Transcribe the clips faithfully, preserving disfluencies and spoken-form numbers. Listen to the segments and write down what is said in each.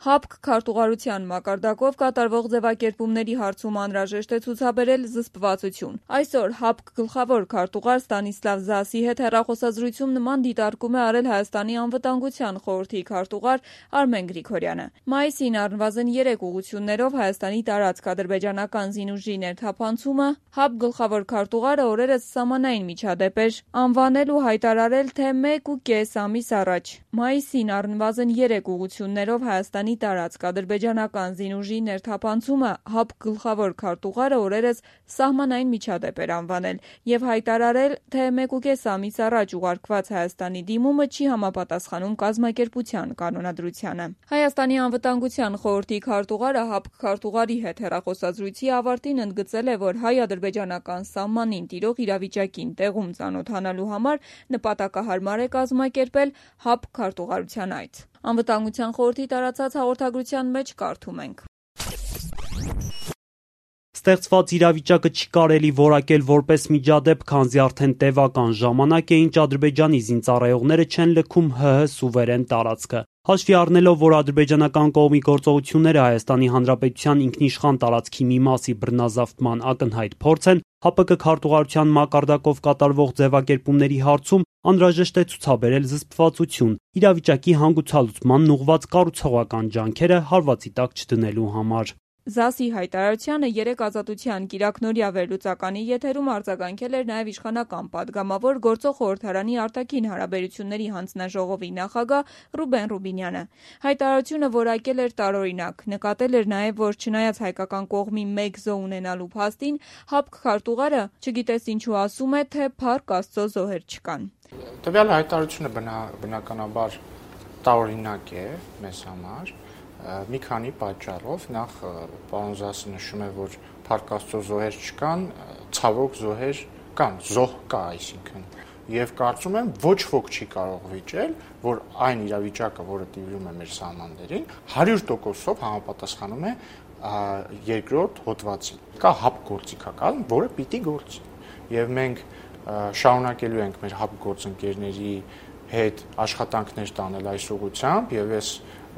ՀԱՊԿ քարտուղարության մակարդակով կատարվող ձևակերպումների հարցում անհրաժեշտ է ցուցաբերել զսպվածություն։ Այսօր ՀԱՊԿ գլխավոր քարտուղար Ստանիսլավ Զասի հետ հեռախոսազրույցում նման դիտարկում է արել Հայաստանի անվտանգության խորհրդի քարտուղար Արմեն Գրիգորյանը։ Մայիսին առնվազն երեք ուղղություններով Հայաստանի տարածք ադրբեջանական զինուժի ներթափանցումը ՀԱՊԿ գլխավոր քարտուղարը օրերս սահմանային միջադեպ էր անվանել ու հայտարարել, թե մեկ ու կես ամիս առաջ։ Մայիսին առնվազն երեք ուղղություններով Հայաստանի տարածք ադրբեջանական զինուժի ներթափանցումը ՀԱՊԿ գլխավոր քարտուղարը օրերս սահմանային միջադեպ էր անվանել եւ հայտարարել, թե մեկ ու կես ամիս առաջ ուղարկված Հայաստանի դիմումը չի համապատասխանում կազմակերպության կանոնադրությանը։ Հայաստանի անվտանգության խորհրդի քարտուղարը ՀԱՊԿ քարտուղարի հետ հեռախոսազրույցի ավարտին ընդգծել է, որ հայ-ադրբեջանական սահմանին տիրող իրավիճակին տեղում ծանոթանալու համար նպատակահարմար է կազմակերպել ՀԱՊԿ քարտուղարության այց։ Անվտանգության խորհրդի տարածած հաղորդագրության մեջ կարդում ենք. Ստեղծված իրավիճակը չի կարելի որակել որպես միջադեպ, քանզի արդեն տևական ժամանակ է, ինչ Ադրբեջանի զինծառայողները չեն լքում ՀՀ սուվերեն տարածքը։ Հաշվի առնելով, որ ադրբեջանական կողմի գործողությունները Հայաստանի Հանրապետության ինքնիշխան տարածքի մի մասի բռնազավթման ակնհայտ փորձ են, ՀԱՊԿ քարտուղարության մակարդակով կատարվող ձևակերպումների հարցում անհրաժեշտ է ցուցաբերել զսպվածություն՝ իրավիճակի հանգուցալուծմանն ուղղված կառուցողական ջանքերը հարվածի տակ չդնելու համար։ Զասի հայտարարությանը երեկ Ազատության կիրակնօրյա վերլուծականի եթերում արձագանքել էր նաև իշխանական պատգամավոր գործող խորհրդարանի արտաքին հարաբերությունների հանձնաժողովի նախագահ Ռուբեն Ռուբինյանը։ Հայտարարությունը որակել էր տարօրինակ, նկատել էր նաև, որ չնայած հայկական կողմի մեկ զոհ ունենալու փաստին, ՀԱՊԿ քարտուղարը չգիտես ինչու ասում է, թե փառք Աստծո զոհեր չկան։ Տվյալ հայտարարությունը բնականաբար տարօրինակ է մեզ համար։ Մի քանի պատճառով, նախ պարոն Զասը նշում է, որ փառք Աստծո զոհեր չկան, ցավոք զոհեր կան, զոհ կա, այսինքն։ Եվ կարծում եմ ոչ ոք չի կարող վիճել, որ այն իրավիճակը, որը տիրում է մեր սահմաններին, հարյուր տոկոսով համապատասխանում է երկրորդ հոդվածին։ Կա ՀԱՊԿ գործիքական, որը պիտի գործի։ Եվ մենք շարունակելու ենք մեր ՀԱՊԿ գործընկերների հետ աշխատանքներ տանել այս ուղղությամբ, եւ ես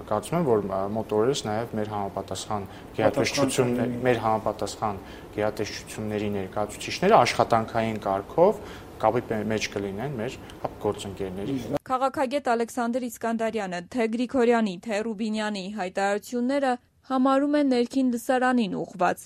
կարծում եմ, որ մոտ օրերս նաև մեր համապատասխան գերատեսչություններ, մեր համապատասխան գերատեսչությունների ներկայացուցիչները աշխատանքային կարգով կապի մեջ կլինեն մեր ՀԱՊԿ գործընկերների հետ։ Քաղաքագետ Ալեքսանդր Իսկանդարյանը թե Գրիգորյանի, թե Ռուբինյանի հայտարարությունները համարում են ներքին լսարանին ուղղված։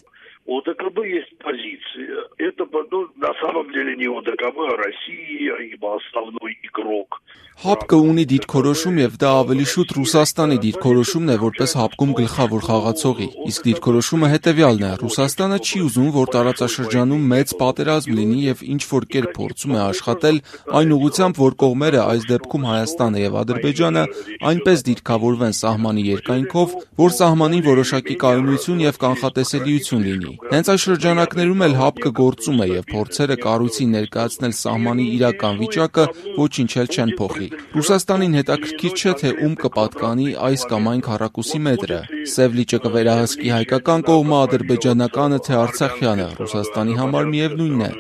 ОДКБ есть позиция. Это, ну, на самом деле не ОДКБ, а Россия, ибо основной игрок. ՀԱՊԿ-ը ունի դիրքորոշում եւ դա ավելի շուտ Ռուսաստանի դիրքորոշումն է որպես ՀԱՊԿ-ում գլխավոր խաղացողի։ Իսկ դիրքորոշումը հետեւյալն է. Ռուսաստանը չի ուզում, որ տարածաշրջանում մեծ պատերազմ լինի եւ ինչ որ կերպ փորձում է աշխատել այն ուղղությամբ, որ կողմերը, այս դեպքում Հայաստանը եւ Ադրբեջանը, այնպես դիրքավորվեն սահմանի երկայնքով, որ սահմանին որոշակի կայունություն եւ կանխատեսելիություն լինի։ Հենց այս շրջանակներում էլ ՀԱՊԿ-ը գործում է եւ փորձերը կառույցին ներկայացնել սահմանի իրական վիճակը ոչինչ էլ չեն փոխի։ Ռուսաստանին հետաքրքիր չէ, թե ում կպատկանի այս կամ այն քառակուսի մետրը։ Սև լիճը կվերահսկի հայկական կողմը, ադրբեջանականը, թե արցախյանը։ Ռուսաստանի համար միևնույնն է։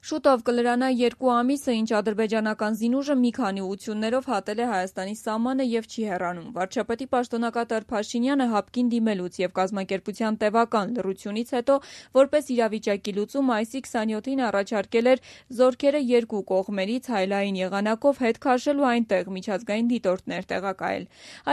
Շուտով կլրանա երկու ամիսը, ինչ ադրբեջանական զինուժը մի քանի ուղղություններով հատել է Հայաստանի սահմանը եւ չի հեռանում։ Վարչապետի պաշտոնակատար Փաշինյանը ՀԱՊԿ-ին դիմելուց եւ կազմակերպության տևական լռությունից հետո, որպես իրավիճակի լուծում, մայիսի քսաներկուին առաջարկել էր զորքերը երկու կողմերից հայլային եղանակով հետ քաշելու այնտեղ միջազգային դիտորդներ տեղակայել։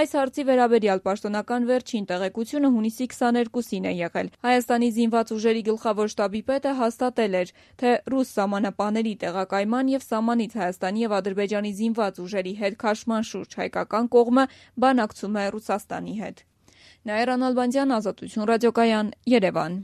Այս հարցի վերաբերյալ պաշտոնական վերջին տեղեկությունը հունիսի քսաներկուսին է եղել։ Հայաստանի զինված ուժերի գլխավոր շտաբի պետը հաստատել էր, թե ռուս սահմանապահների տեղակայման եւ սահմանից Հայաստանի եւ Ադրբեջանի զինված ուժերի հետ քաշման շուրջ հայկական կողմը բանակցում է Ռուսաստանի հետ։ Նաիրա Նալբանդյան, Ազատություն ռադիոկայան, Երևան։